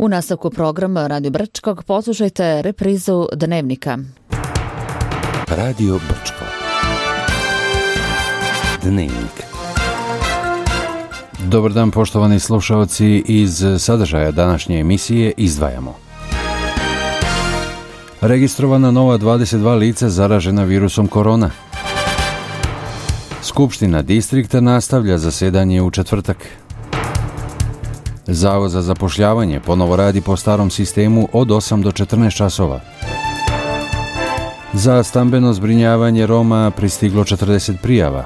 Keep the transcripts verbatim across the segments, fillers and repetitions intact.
U nastavku programa Radio Brčkog poslušajte reprizu Dnevnika. Radio Brčko. Dnevnik. Dobar dan, poštovani slušalci. Iz sadržaja današnje emisije izdvajamo: registrovana nova dvadeset dva lica zaražena virusom korona. Skupština distrikta nastavlja zasedanje u četvrtak. Zavod za zapošljavanje ponovo radi po starom sistemu od osam do četrnaest časova. Za stambeno zbrinjavanje Roma pristiglo četrdeset prijava.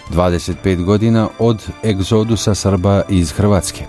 dvadeset pet godina od egzodusa Srba iz Hrvatske.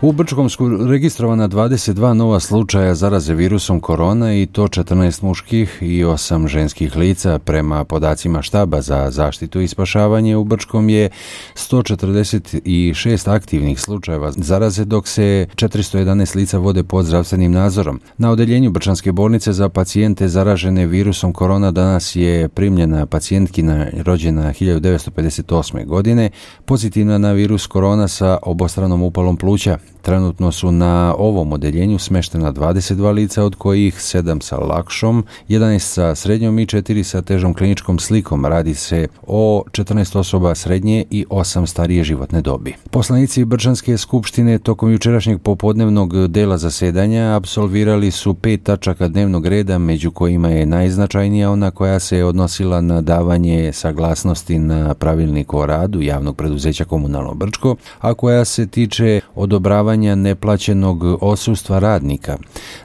U Brčkom su registrovana dvadeset dva nova slučaja zaraze virusom korona i to četrnaest muških i osam ženskih lica. Prema podacima štaba za zaštitu i spašavanje u Brčkom je sto četrdeset šest aktivnih slučajeva zaraze, dok se četiristo jedanaest lica vode pod zdravstvenim nadzorom. Na odeljenju Brčanske bolnice za pacijente zaražene virusom korona danas je primljena pacijentkinja rođena hiljadu devetsto pedeset osme. godine, pozitivna na virus korona sa obostranom upalom pluća. Trenutno su na ovom odeljenju smeštena dvadeset dva lica, od kojih sedam sa lakšom, jedanaest sa srednjom i četiri sa težom kliničkom slikom. Radi se o četrnaest osoba srednje i osam starije životne dobi. Poslanici Brčanske skupštine tokom jučerašnjeg popodnevnog dela zasedanja apsolvirali su pet tačaka dnevnog reda, među kojima je najznačajnija ona koja se odnosila na davanje saglasnosti na pravilnik o radu javnog preduzeća Komunalno Brčko, a koja se tiče odobravanja neplaćenog odsustva radnika.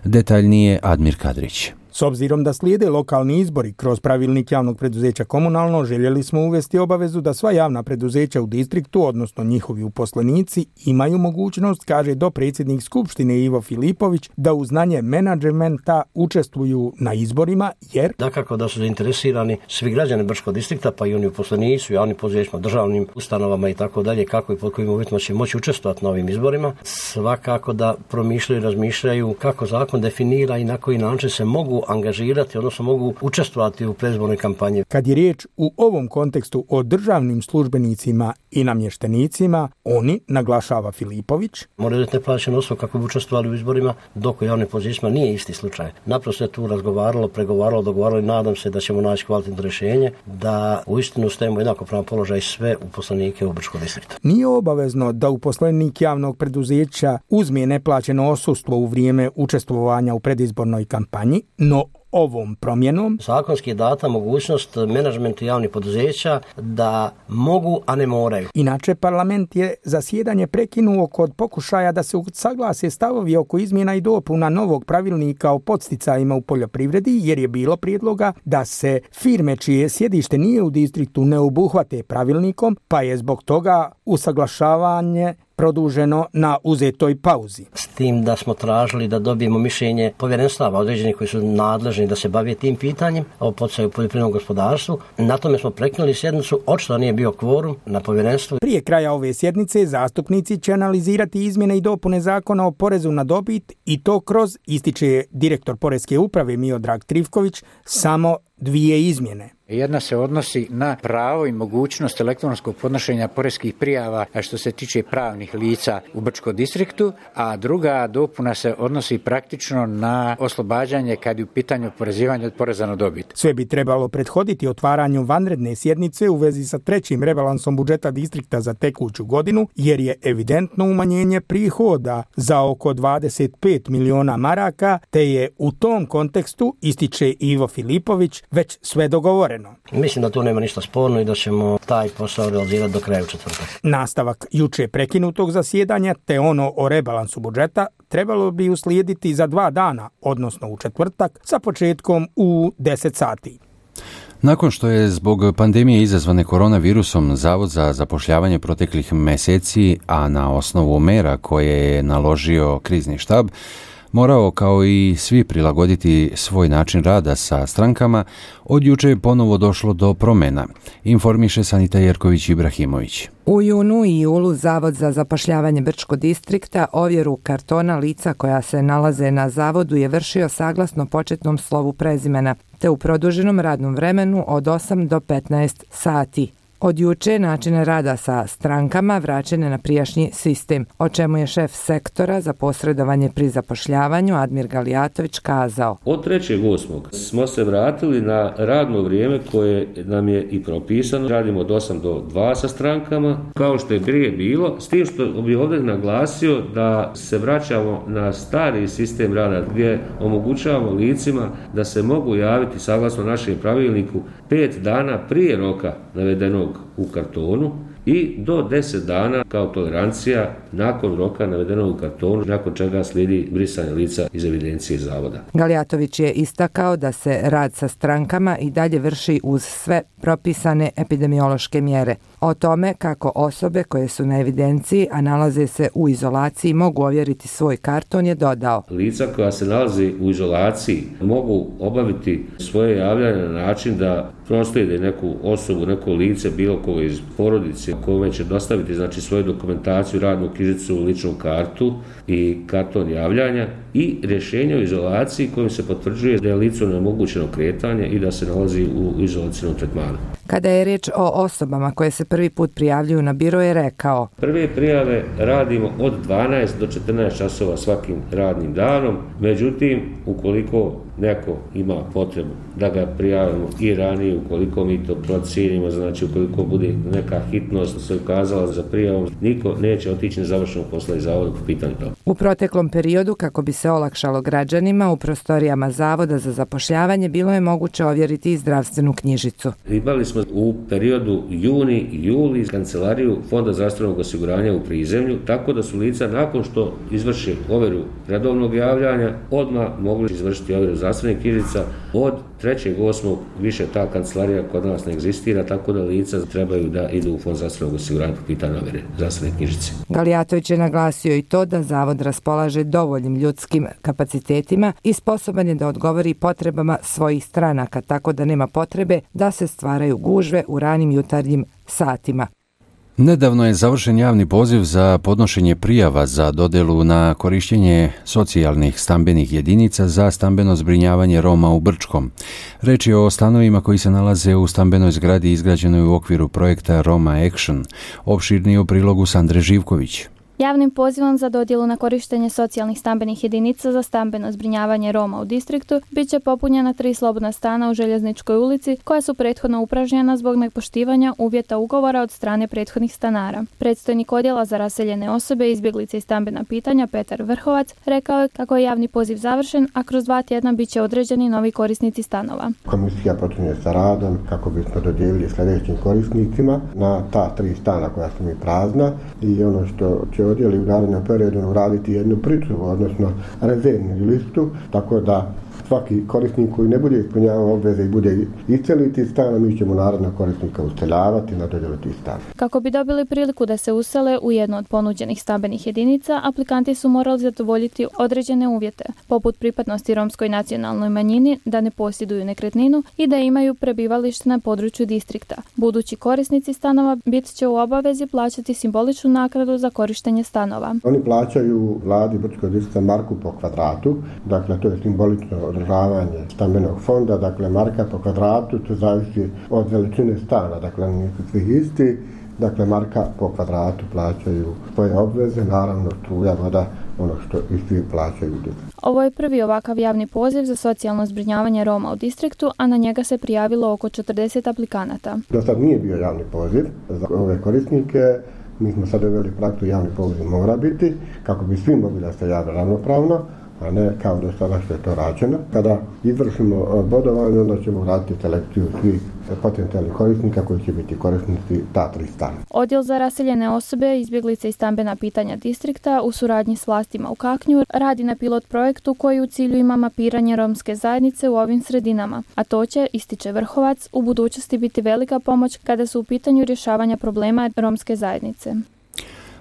Detaljnije Admir Kadrić. S obzirom da slijede lokalni izbori, kroz pravilnik javnog preduzeća Komunalno željeli smo uvesti obavezu da sva javna preduzeća u distriktu, odnosno njihovi uposlenici, imaju mogućnost, kaže dopredsjednik Skupštine Ivo Filipović, da uz znanje menadžmenta učestvuju na izborima, jer dakako da su zainteresirani svi građani Brčkog distrikta, pa i oni uposlenici u javnim poduzećima, državnim ustanovama i tako dalje, kako i pod kojim uvjetima će moći učestvovati na ovim izborima. Svakako da promišljaju i razmišljaju kako zakon definira i na koji način se mogu angažirati, odnosno mogu učestvovati u predizbornoj kampanji. Kad je riječ u ovom kontekstu o državnim službenicima i namještenicima, oni, naglašava Filipović, moraju biti neplaćeno osobu kako bi učestvovali u izborima, dok u javnim pozicijama nije isti slučaj. Naprosto je tu razgovaralo, pregovaralo, dogovaralo i nadam se da ćemo naći kvalitetno rješenje da uistinu stavimo jednakopravan položaj sve uposlenike u Brčkom distriktu. Nije obavezno da uposlenik javnog preduzeća uzme neplaćeno odsustvo u vrijeme učestvovanja u predizbornoj kampanji, no ovom promjenom zakonski je data mogućnost menadžmentu javnih poduzeća da mogu, a ne moraju. Inače, parlament je zasjedanje prekinuo kod pokušaja da se usaglase stavovi oko izmjena i dopuna novog pravilnika o podsticajima u poljoprivredi, jer je bilo prijedloga da se firme čije sjedište nije u distriktu ne obuhvate pravilnikom, pa je zbog toga usaglašavanje produženo na uzetoj pauzi. S tim da smo tražili da dobijemo mišljenje povjerenstava određenih koji su nadležni da se bave tim pitanjem o poticaju u poljoprivrednom gospodarstvu. Na tome smo prekinuli sjednicu, očito nije bio kvorum na povjerenstvu. Prije kraja ove sjednice zastupnici će analizirati izmjene i dopune zakona o porezu na dobit i to kroz, ističe direktor Poreske uprave Miodrag Trivković, samo dvije izmjene. Jedna se odnosi na pravo i mogućnost elektronskog podnošenja poreskih prijava što se tiče pravnih lica u Brčkom distriktu, a druga dopuna se odnosi praktično na oslobađanje kad je u pitanju oporezivanja od poreza na dobit. Sve bi trebalo prethoditi otvaranju vanredne sjednice u vezi sa trećim rebalansom budžeta distrikta za tekuću godinu, jer je evidentno umanjenje prihoda za oko dvadeset pet miliona maraka, te je u tom kontekstu, ističe Ivo Filipović, već sve dogovoreno. Mislim da tu nema ništa sporno i da ćemo taj posao realizirati do kraja u četvrtak. Nastavak juče prekinutog zasjedanja te ono o rebalansu budžeta trebalo bi uslijediti za dva dana, odnosno u četvrtak, sa početkom u deset sati. Nakon što je zbog pandemije izazvane koronavirusom Zavod za zapošljavanje proteklih mjeseci, a na osnovu mera koje je naložio krizni štab, morao kao i svi prilagoditi svoj način rada sa strankama, od juče je ponovo došlo do promjena, informiše Sanita Jerković Ibrahimović. U junu i julu Zavod za zapošljavanje Brčkog distrikta ovjeru kartona lica koja se nalaze na zavodu je vršio saglasno početnom slovu prezimena, te u produženom radnom vremenu od osam do petnaest sati. Od juče načine rada sa strankama vraćene na prijašnji sistem, o čemu je šef sektora za posredovanje pri zapošljavanju Admir Galijatović kazao. Od trećeg osmog smo se vratili na radno vrijeme koje nam je i propisano. Radimo od osam do dva sa strankama, kao što je prije bilo, s tim što bih ovdje naglasio da se vraćamo na stari sistem rada gdje omogućavamo licima da se mogu javiti saglasno našem pravilniku pet dana prije roka navedenog u kartonu i do deset dana kao tolerancija nakon roka navedenog u kartonu, nakon čega slijedi brisanje lica iz evidencije zavoda. Galijatović je istakao da se rad sa strankama i dalje vrši uz sve propisane epidemiološke mjere. O tome kako osobe koje su na evidenciji, a nalaze se u izolaciji, mogu ovjeriti svoj karton je dodao. Lica koja se nalazi u izolaciji mogu obaviti svoje javljanje na način da proslijede neku osobu, neko lice, bilo koga iz porodice, kome će dostaviti znači svoju dokumentaciju, radnu knjižicu, ličnu kartu i karton javljanja i rješenje o izolaciji kojim se potvrđuje da je licu neomogućeno kretanje i da se nalazi u izolacijnom tretmanu. Kada je riječ o osobama koje se prvi put prijavljuju na biro je rekao: Prve prijave radimo od dvanaest do četrnaest časova svakim radnim danom, međutim ukoliko neko ima potrebu da ga prijavimo i ranije, ukoliko mi to procijenimo, znači ukoliko bude neka hitnost se ukazala za prijavom, niko neće otići na završenog posla iz zavoda po pitanju toga. U proteklom periodu, kako bi se olakšalo građanima, u prostorijama Zavoda za zapošljavanje bilo je moguće ovjeriti i zdravstvenu knjižicu. Imali smo u periodu juni i juli kancelariju Fonda zdravstvenog osiguranja u prizemlju, tako da su lica nakon što izvrše ovjeru redovnog javljanja odmah mogli izvršiti ovjeru zdravstvenih knjižica. Od trećeg osmog više ta kancelarija kod nas ne egzistira, tako da lica trebaju da idu u Fond zdravstvenog osiguranja po pitanju ovjere zdravstvene knjižice. Galijatović je naglasio i to da Zavod raspolaže dovoljnim ljudskim kapacitetima i sposoban je da odgovori potrebama svojih stranaka, tako da nema potrebe da se stvaraju gužve u ranim jutarnjim satima. Nedavno je završen javni poziv za podnošenje prijava za dodjelu na korištenje socijalnih stambenih jedinica za stambeno zbrinjavanje Roma u Brčkom. Reč je o stanovima koji se nalaze u stambenoj zgradi izgrađenoj u okviru projekta Roma Action. Opširnije u prilogu Sandre Živković. Javnim pozivom za dodjelu na korištenje socijalnih stambenih jedinica za stambeno zbrinjavanje Roma u distriktu bit će popunjena tri slobodna stana u Željezničkoj ulici koja su prethodno upražnjena zbog nepoštivanja uvjeta ugovora od strane prethodnih stanara. Predstojnik odjela za raseljene osobe, izbjeglice i stambena pitanja Petar Vrhovac rekao je kako je javni poziv završen, a kroz dva tjedna bit će određeni novi korisnici stanova. Komisija počinje sa radom kako bismo dodijelili sljedećim korisnicima na ta tri stana koja su mi prazna i ono što će odjeli u narednom periodu uraditi jednu pričuvu, odnosno rezervnu listu, tako da svaki korisnik koji ne bude ispunjavao obveze i bude isceliti stan, mi ćemo narednog korisnika useljavati na dodjelu tih stan. Kako bi dobili priliku da se usele u jednu od ponuđenih stambenih jedinica, aplikanti su morali zadovoljiti određene uvjete, poput pripadnosti romskoj nacionalnoj manjini, da ne posjeduju nekretninu i da imaju prebivalište na području distrikta. Budući korisnici stanova bit će u obavezi plaćati simboličnu naknadu za korištenje stanova. Oni plaćaju vladi Brčkog distrikta marku po kvadratu, dakle to je simbolično održavanje stambenog fonda, dakle marka po kvadratu, to zavisi od veličine stana, dakle nisu svi isti, dakle marka po kvadratu plaćaju svoje obveze, naravno struja, voda, ono što i svi plaćaju. Ovo je prvi ovakav javni poziv za socijalno zbrinjavanje Roma u distriktu, a na njega se prijavilo oko četrdeset aplikanata. Do sad nije bio javni poziv za ove korisnike. Mi smo sad uveli praksu, javni poziv mora biti, kako bi svi mogli da se jave ravnopravno, a ne kao do sada što je to rađeno. Kada izvršimo bodovanje, onda ćemo raditi selekciju svih potencijalnih korisnika koji će biti korisnici ta tri stana. Odjel za raseljene osobe, izbjeglice i stambena pitanja distrikta u suradnji s vlastima u Kaknju radi na pilot projektu koji u cilju ima mapiranje romske zajednice u ovim sredinama, a to će, ističe Vrhovac, u budućnosti biti velika pomoć kada su u pitanju rješavanja problema romske zajednice.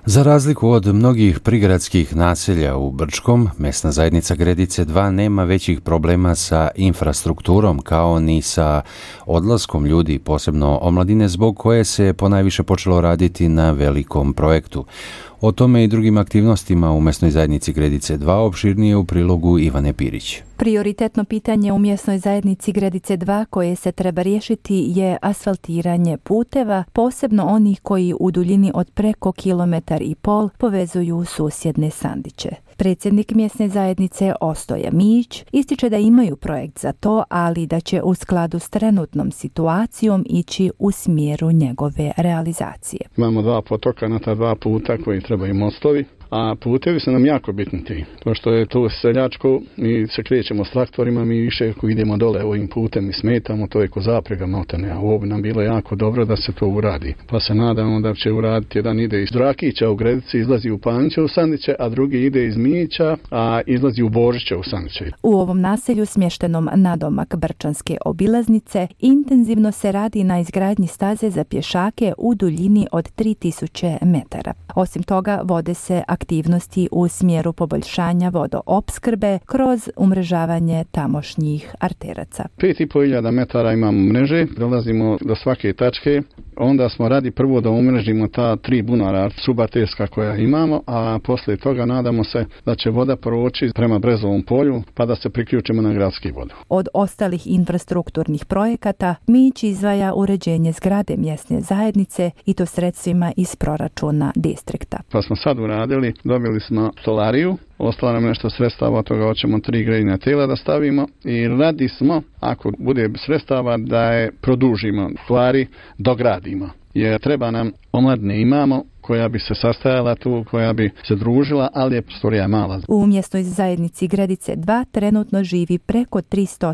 Za razliku od mnogih prigradskih naselja u Brčkom, mesna zajednica Gredice dva nema većih problema sa infrastrukturom kao ni sa odlaskom ljudi, posebno omladine, zbog koje se ponajviše počelo raditi na velikom projektu. O tome i drugim aktivnostima u mesnoj zajednici Gredice dva opširnije u prilogu Ivane Pirić. Prioritetno pitanje u mjesnoj zajednici Gredice dva koje se treba riješiti je asfaltiranje puteva, posebno onih koji u duljini od preko kilometar i pol povezuju susjedne Sandiće. Predsjednik mjesne zajednice Ostoja Mijić ističe da imaju projekt za to, ali da će u skladu s trenutnom situacijom ići u smjeru njegove realizacije. Imamo dva potoka na ta dva puta koji trebaju mostovi. A putevi su nam jako bitni ti. Pošto je tu seljačko, mi se krećemo s traktorima, mi više ako idemo dole ovim putem i smetamo, to je ko zaprega maltene. A ovo bi nam bilo jako dobro da se to uradi. Pa se nadamo da će uraditi, jedan ide iz Drakića u Gredici, izlazi u Panče u Sandiće, a drugi ide iz Mijića, a izlazi u Božiće u Sandiće. U ovom naselju smještenom nadomak Brčanske obilaznice intenzivno se radi na izgradnji staze za pješake u duljini od tri tisuće metara. Osim toga, vode se aktivnosti u smjeru poboljšanja vodoopskrbe kroz umrežavanje tamošnjih arteraca. pet i pol hiljada metara imamo mreže, dolazimo do svake tačke, onda smo radi prvo da umrežimo ta tri bunara subarterska koja imamo, a poslije toga nadamo se da će voda proći prema Brezovom polju pa da se priključimo na gradski vodu. Od ostalih infrastrukturnih projekata Mijić izdvaja uređenje zgrade mjesne zajednice i to sredstvima iz proračuna distrikta. Pa smo sad uradili, dobili smo stolariju, ostalo nam nešto sredstava, od toga hoćemo tri grejna tela da stavimo i radi smo, ako bude sredstava, da je produžimo, stvari dogradimo. Jer treba nam, omladne imamo, koja bi se sastajala tu, koja bi se družila, ali je prostorija mala. U mjesnoj zajednici Gredice dva trenutno živi preko tristo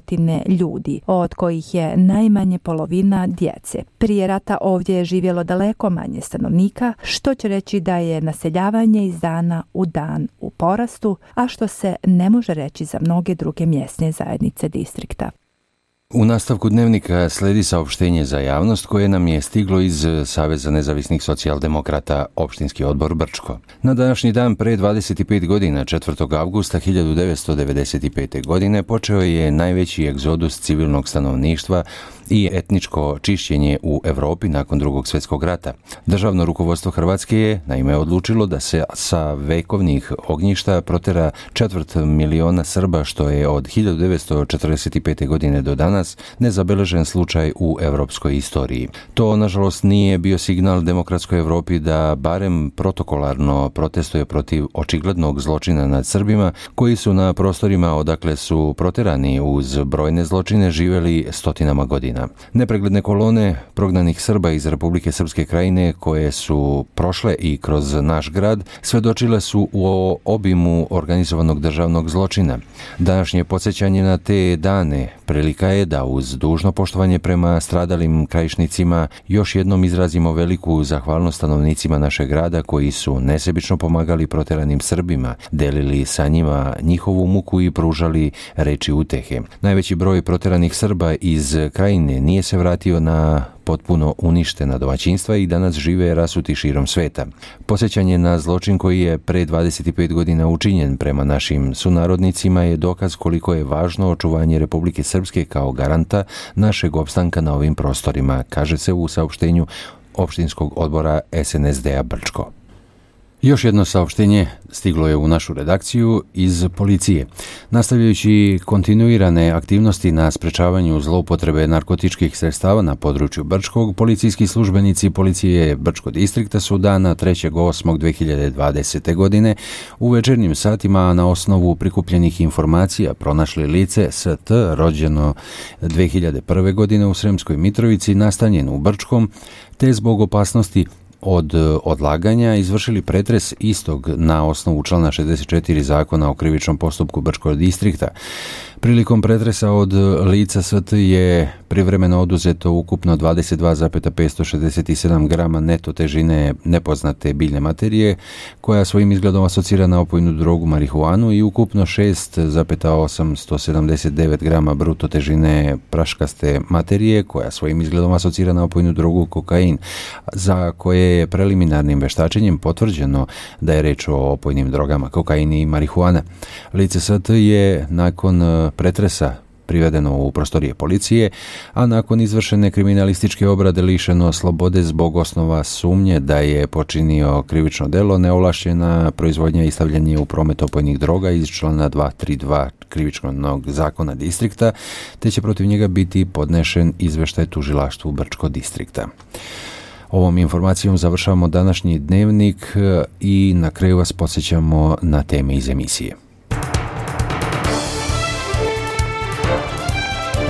ljudi, od kojih je najmanje polovina djece. Prije rata ovdje je živjelo daleko manje stanovnika, što će reći da je naseljavanje iz dana u dan u porastu, a što se ne može reći za mnoge druge mjesne zajednice distrikta. U nastavku dnevnika sledi saopštenje za javnost koje nam je stiglo iz Saveza nezavisnih socijaldemokrata Opštinski odbor Brčko. Na današnji dan pre dvadeset pet godina, četvrtog avgusta hiljadu devetsto devedeset pete. godine, počeo je najveći egzodus civilnog stanovništva i etničko čišćenje u Europi nakon Drugog svjetskog rata. Državno rukovodstvo Hrvatske je naime odlučilo da se sa vekovnih ognjišta protera četvrt miliona Srba, što je od hiljadu devetsto četrdeset pete. godine do danas nezabeležen slučaj u europskoj istoriji. To, nažalost, nije bio signal demokratskoj Europi da barem protokolarno protestuje protiv očiglednog zločina nad Srbima, koji su na prostorima odakle su proterani uz brojne zločine živjeli stotinama godina. Nepregledne kolone prognanih Srba iz Republike Srpske Krajine koje su prošle i kroz naš grad svedočile su o obimu organizovanog državnog zločina. Današnje podsjećanje na te dane prilika je da uz dužno poštovanje prema stradalim krajišnicima još jednom izrazimo veliku zahvalnost stanovnicima našeg grada koji su nesebično pomagali proteranim Srbima, delili sa njima njihovu muku i pružali reči utehe. Najveći broj proteranih Srba iz Krajine nije se vratio na potpuno uništena domaćinstva i danas žive rasuti širom sveta. Posjećanje na zločin koji je pre dvadeset pet godina učinjen prema našim sunarodnicima je dokaz koliko je važno očuvanje Republike Srpske kao garanta našeg opstanka na ovim prostorima, kaže se u saopštenju Opštinskog odbora es en es de a Brčko. Još jedno saopštenje stiglo je u našu redakciju iz policije. Nastavljajući kontinuirane aktivnosti na sprečavanju zloupotrebe narkotičkih sredstava na području Brčkog, policijski službenici policije Brčkog distrikta su dana trećeg osmog dve hiljade dvadesete. godine u večernjim satima na osnovu prikupljenih informacija pronašli lice S T rođeno dve hiljade prve. godine u Sremskoj Mitrovici, nastanjen u Brčkom, te zbog opasnosti od odlaganja izvršili pretres istog na osnovu člana šezdeset četiri Zakona o krivičnom postupku Brčkog distrikta. Prilikom pretresa od lica S T je privremeno oduzeto ukupno dvadeset dva zarez petsto šezdeset sedam grama neto težine nepoznate biljne materije, koja svojim izgledom asocira na opojnu drogu marihuanu, i ukupno šest zarez osamsto sedamdeset devet grama bruto težine praškaste materije, koja svojim izgledom asocira na opojnu drogu kokain, za koje je preliminarnim veštačenjem potvrđeno da je reč o opojnim drogama kokain i marihuana. Lice S T je nakon pretresa privedeno u prostorije policije, a nakon izvršene kriminalističke obrade lišeno slobode zbog osnova sumnje da je počinio krivično delo neovlašćena proizvodnja i stavljanje u promet opojnih droga iz člana dvjesto trideset dva krivičnog zakona distrikta, te će protiv njega biti podnešen izveštaj tužilaštvu Brčko distrikta. Ovom informacijom završavamo današnji dnevnik i na kraju vas podsjećamo na teme iz emisije.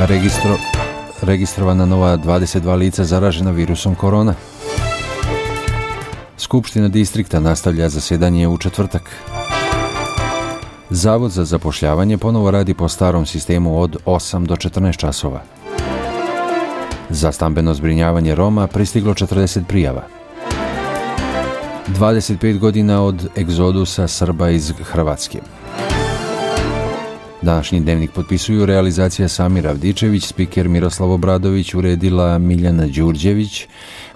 Registro, registrovana nova dvadeset dva lica zaražena virusom korona. Skupština distrikta nastavlja zasjedanje u četvrtak. Zavod za zapošljavanje ponovo radi po starom sistemu od osam do četrnaest časova. Za stambeno zbrinjavanje Roma pristiglo četrdeset prijava. dvadeset pet godina od egzodusa Srba iz Hrvatske. Današnji dnevnik potpisuju realizacija Samir Avdičević, spiker Miroslav Obradović, uredila Miljana Đurđević.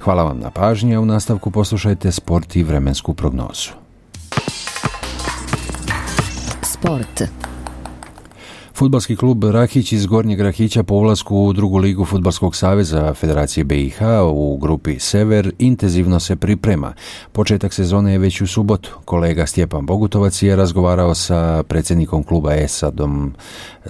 Hvala vam na pažnji, a u nastavku poslušajte sport i vremensku prognozu. Sport. Fudbalski klub Rahić iz Gornjeg Rahića po ulasku u drugu ligu Fudbalskog saveza Federacije B i H u grupi Sever intenzivno se priprema. Početak sezone je već u subotu. Kolega Stjepan Bogutovac je razgovarao sa predsjednikom kluba Esadom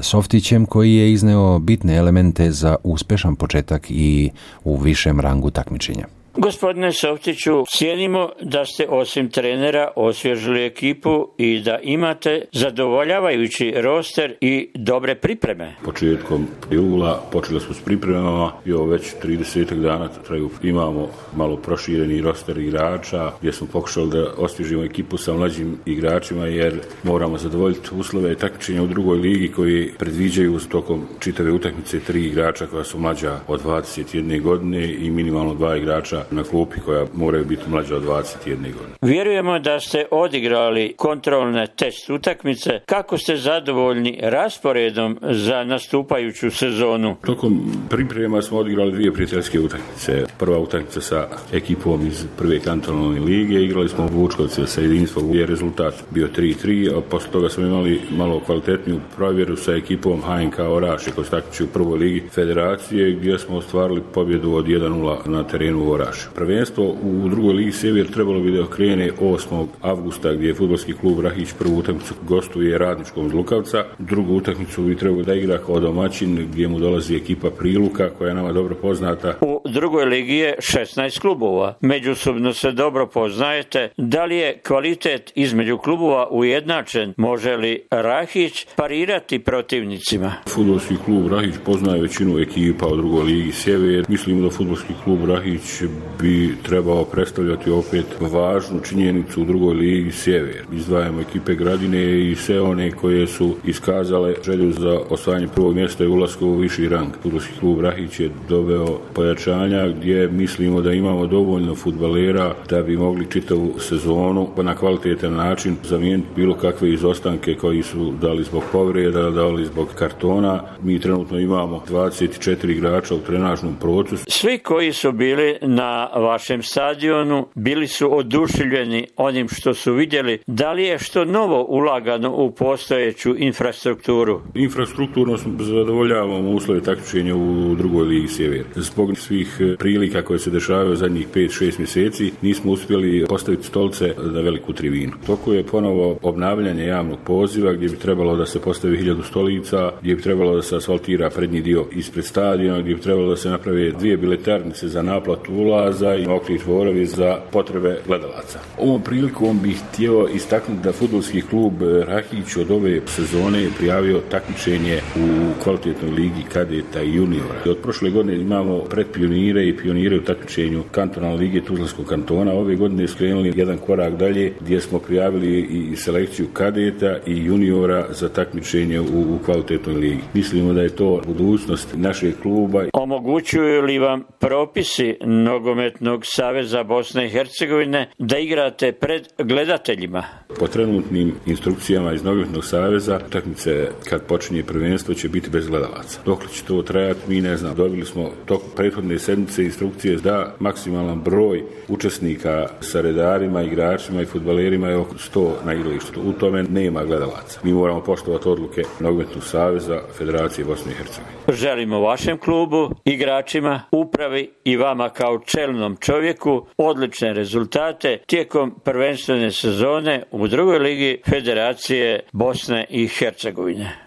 Softićem, koji je izneo bitne elemente za uspješan početak i u višem rangu takmičenja. Gospodine Softiću, cijenimo da ste osim trenera osvježili ekipu i da imate zadovoljavajući roster i dobre pripreme. Početkom jula počeli smo s pripremama i ovo već trideset dana traju. Imamo malo prošireni roster igrača gdje smo pokušali da osvježimo ekipu sa mlađim igračima jer moramo zadovoljiti uslove takmičenja u drugoj ligi koji predviđaju tokom čitave utakmice tri igrača koja su mlađa od dvadeset jedne godine i minimalno dva igrača na klupi koja moraju biti mlađa od dvadeset jedne godine. Vjerujemo da ste odigrali kontrolne test utakmice. Kako ste zadovoljni rasporedom za nastupajuću sezonu? Tokom priprema smo odigrali dvije prijateljske utakmice. Prva utakmica sa ekipom iz prve kantonalne lige, igrali smo u Vučkovce sa Jedinstvom gdje je rezultat bio tri tri, a poslije toga smo imali malo kvalitetniju provjeru sa ekipom H N K Orašje koji se takmiči u prvoj ligi Federacije gdje smo ostvarili pobjedu od jedan nula na terenu u Orašju. Prvenstvo u drugoj ligi Sjever trebalo bi da krene osmog avgusta gdje je fudbalski klub Rahić prvu utakmicu gostuje Radničkom iz Lukavca. Drugu utakmicu bi trebalo da igra kao domaćin gdje mu dolazi ekipa Priluka koja je nama dobro poznata. U drugoj ligi je šesnaest klubova. Međusobno se dobro poznajete. Da li je kvalitet između klubova ujednačen? Može li Rahić parirati protivnicima? Fudbalski klub Rahić poznaje većinu ekipa u drugoj ligi Sjever. Mislimo da fudbalski klub Rahić bi trebao predstavljati opet važnu činjenicu u drugoj ligi Sjever. Izdvajamo ekipe Gradine i sve one koje su iskazale želju za osvajanje prvog mjesta i ulasku u viši rang. Fudbalski klub Rahić je doveo pojačanja gdje mislimo da imamo dovoljno fudbalera da bi mogli čitavu sezonu na kvalitetan način zamijeniti bilo kakve izostanke koji su dali zbog povreda, dali zbog kartona. Mi trenutno imamo dvadeset četiri igrača u trenažnom procesu. Svi koji su bili na vašem stadionu bili su oduševljeni onim što su vidjeli. Da li je što novo ulagano u postojeću infrastrukturu? Infrastrukturno zadovoljavamo uslove takmičenja u drugoj ligi Sjever. Zbog svih prilika koje se dešavaju zadnjih pet šest mjeseci nismo uspjeli postaviti stolce na veliku tribinu. Toko je ponovo obnavljanje javnog poziva gdje bi trebalo da se postavi hiljadu stolica, gdje bi trebalo da se asfaltira prednji dio ispred stadiona, gdje bi trebalo da se naprave dvije biletarnice za naplatu ulaza i okri dvorovi za potrebe gledalaca. Ovom prilikom bih htio istaknuti da fudbalski klub Rahić od ove sezone je prijavio takmičenje u kvalitetnoj ligi kadeta i juniora. Od prošle godine imamo predpionire i pionire u takmičenju kantonalne lige Tuzlanskog kantona. Ove godine skrenuli jedan korak dalje gdje smo prijavili i selekciju kadeta i juniora za takmičenje u, u kvalitetnoj ligi. Mislimo da je to budućnost našeg kluba. Omogućuju li vam propisi nogo nogometnog saveza Bosne i Hercegovine da igrate pred gledateljima? Po trenutnim instrukcijama iz nogometnog saveza utakmice kad počinje prvenstvo će biti bez gledalaca. Dokle će to trajati, mi ne znam. Dobili smo tok prethodne sedmice instrukcije da maksimalan broj učesnika sa redarima, igračima i fudbalerima je oko sto na igralištu. U tome nema gledalaca. Mi moramo poštovati odluke nogometnog saveza Federacije Bosne i Hercegovine. Želimo vašem klubu, igračima, upravi i vama kao čelnom čovjeku odlične rezultate tijekom prvenstvene sezone u drugoj ligi Federacije Bosne i Hercegovine.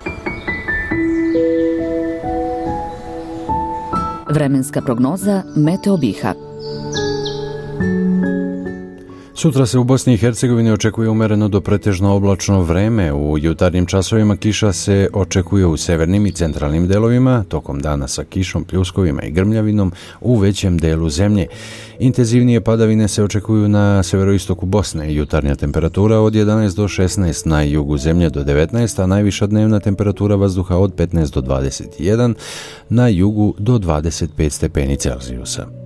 Vremenska prognoza Meteo Biha. Sutra se u Bosni i Hercegovini očekuje umereno do pretežno oblačno vreme. U jutarnjim časovima kiša se očekuje u severnim i centralnim delovima, tokom dana sa kišom, pljuskovima i grmljavinom u većem delu zemlje. Intenzivnije padavine se očekuju na severoistoku Bosne. Jutarnja temperatura od jedanaest do šesnaest, na jugu zemlje do devetnaest, a najviša dnevna temperatura vazduha od petnaest do dvadeset jedan, na jugu do dvadeset pet stepeni Celzijusa.